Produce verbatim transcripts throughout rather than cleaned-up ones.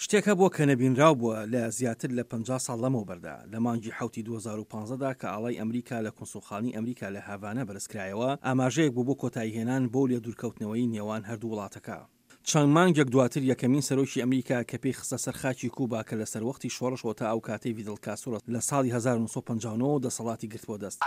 شتێک هەبووە کە نەبینراو بووە لە زیاتر لە پەنجا ساڵ لەمەوبەردا، لە مانگی حەوتی دوو هەزار و پازدە دا کە ئاڵای ئەمریکا لە کونسوڵخانەی ئەمریکا لە هاڤانا بەرزکرایەوە، ئاماژەیەک بوو بۆ کۆتاییهێنان بەو لێدوورکەوتنەوەی نێوان هەردوو وڵاتەکە. چەند مانگێک دواتر یەکەمین سەرۆکی ئەمریکا کە پێی خستە سەر خاکی کوبا کە لە سەروەختی شۆڕشەوە تا ئەو کاتەی ڤیدڵ کاسترۆ لە ساڵی هەزار و نۆ سەد و پەنجا و نۆ دەسەڵاتی گرتبووە دەست.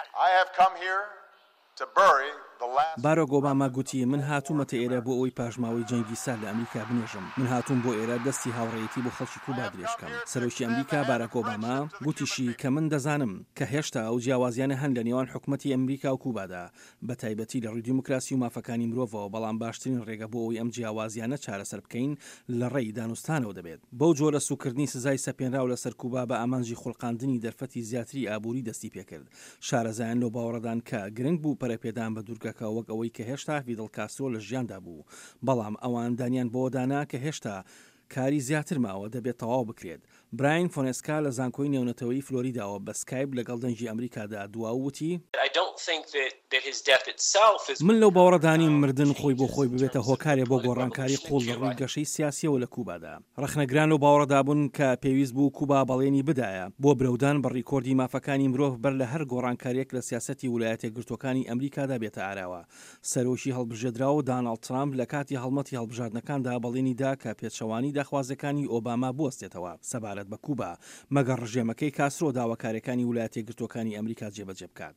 باراک ئۆباما گوتی، من هاتوومەتە ئێرە بۆ ئەوەی پاشماوەی جەنگی سارد لە ئەمریکا بنێژم. من هاتووم بۆ ئێرە دەستی هاوڕێیەتی بۆ خەڵکی کوبا درێژ بکەم. سەرۆکی ئەمریکا باراک ئۆباما گوتیشی کە من دەزانم کە هێشتا ئەو جیاوازیانە هەن لە نێوان حکومەتی ئەمریکا و کوبادا، بە تایبەتی لە ڕووی دیموکراسی و مافەکانی مرۆڤەوە، بەڵام باشترین ڕێگە بۆ ئەوەی ئەم جیاوازیانە چارەسەر بکەین لە ڕێی دانوستانەوە دەبێت. بەو جۆرە سووککردنی سزای سەپێنراو لەسەر کوبا بە ئامانجی خولقاندنی دەرفەتی زیاتری ئابووری دەستی پێکرد. شارەزایان لەو باوەڕەدان کە گرنگ بوو پەرەپێدان بە دوورگەکە وەک ئەوەی کە هێشتا فیدڵ کاسترۆ لە ژیاندا بوو، بەڵام ئەوان دانیان بەوەدا نا کە هێشتا کاری زیاتر ماوە دەبێت تەواو بکرێت. براین فۆنێسکا لە زانکۆی نێونەتەوەیی فلۆریداوە بە سکایپ لەگەڵ دەنگی ئەمریکادا دوا و وتی، من لەو باوەڕەدا نیم مردن خۆی بۆ خۆی ببێتە هۆکارێ بۆ گۆڕانکاری قووڵ لە ڕووی گەشەی سیاسییەوە لە کوبادا. ڕەخنەگران لەو باوەڕەدا بوون کە پێویست بوو کوبا بەڵێنی بدایە بۆ برەودان بە ڕیکۆردی مافەکانی مرۆڤ بەر لە هەر گۆڕانکارییەک لە سیاسەتی ولایەتیەکگرتووەکانی ئەمریکادا بێتە ئاراوە. سەرۆکی هەڵبژێدراو داناڵد ترامپ لە کاتی هەڵمەتی هەڵبژاردنەکاندا بەڵێنی دا کە پێچەوانەی داخوازیەکانی ئۆباما بوەستێتەوە سەبارەت بە کوبا، مەگەر ڕژێمەکەی کاسترۆ داواکاریەکانی ولایەتیەکگرتووەکانی ئەمریکا جێبەجێ بکات.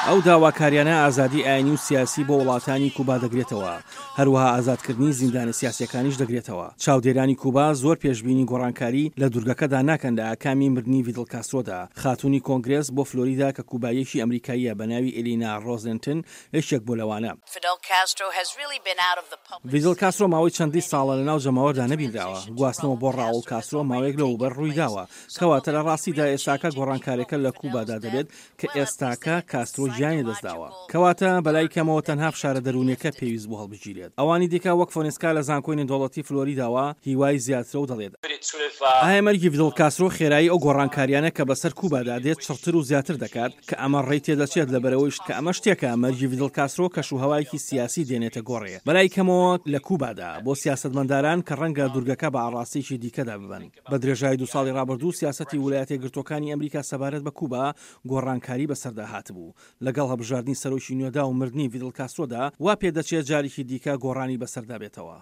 ئەو داواکاریانە ئازادی ئاینی و سیاسی بۆ وڵاتانی کوبا دەگرێتەوە، هەروەها ئازادکردنی زیندانە سیاسیەکانیش دەگرێتەوە. چاودێرانی کوبا زۆر پێشبینی گۆڕانکاری لە دورگەکەدا ناکەن لە ئاکامی مردنی ڤیدڵ کاسترۆدا. خاتوونی کۆنگرێس بۆ فلۆریدا کە کوباییەکی ئەمریکاییە بە ناوی ئێلینا ڕۆزنتن یەکێک بوو لەوانە. ڤیدڵ کاسترۆ ماوەی چەندین ساڵە لەناو جەماوەردا نەبینراوە. گواستنەوە بۆ ڕاوڵ کاسترۆ ماوەیەک لەوەوبەر ڕوویداوە. کەواتە لە ڕاستیدا ئێستاکە گۆڕانکاریەکە لە کوبادا دەبێت کە ئێستاکە کاسترۆ گیانی لەدەستداوە. کەواتە بەلای کەمەوە تەنها فشارە دەروونیەکە پێویست بوو هەڵبگیرێت. ئەوانی دیکە وەک فۆنێسکا لە زانکۆی نێودەوڵەتی فلۆریداوە هیوای زیاترە و دەڵێت، ئایا مەرگی ڤیدڵ کاسترۆ خێرایی ئەو گۆڕانکاریانە کە بەسەر کوبادا دێت چڕتر و زیاتر دەکات کە ئەمە ڕێی تێدەچێت لەبەرئەوەی کە ئەمە شتێکە مەرگی ڤیدڵ کاسترۆ کەش و هەوایەکی سیاسی دێنێتە گۆڕێ بەلای کەمەوە لە کوبادا بۆ سیاسەتمەنداران کە ڕەنگە دورگەکە بە ئاڕاستەیەکی دیکەدا ببەن. بە درێژایی دوو ساڵی ڕابردوو سیاسەتی ولایەتیەکگرتووەکانی ئەمریکا سەبارەت بە کوبا گۆڕانکاری بەسەردا هاتبوو. لەگەڵ هەڵبژاردنی سەرۆکی نوێدا و مردنی ڤیدڵ کاسترۆدا وا پێدەچێت جارێکی دیکە گۆڕانی بەسەردا بێتەوە.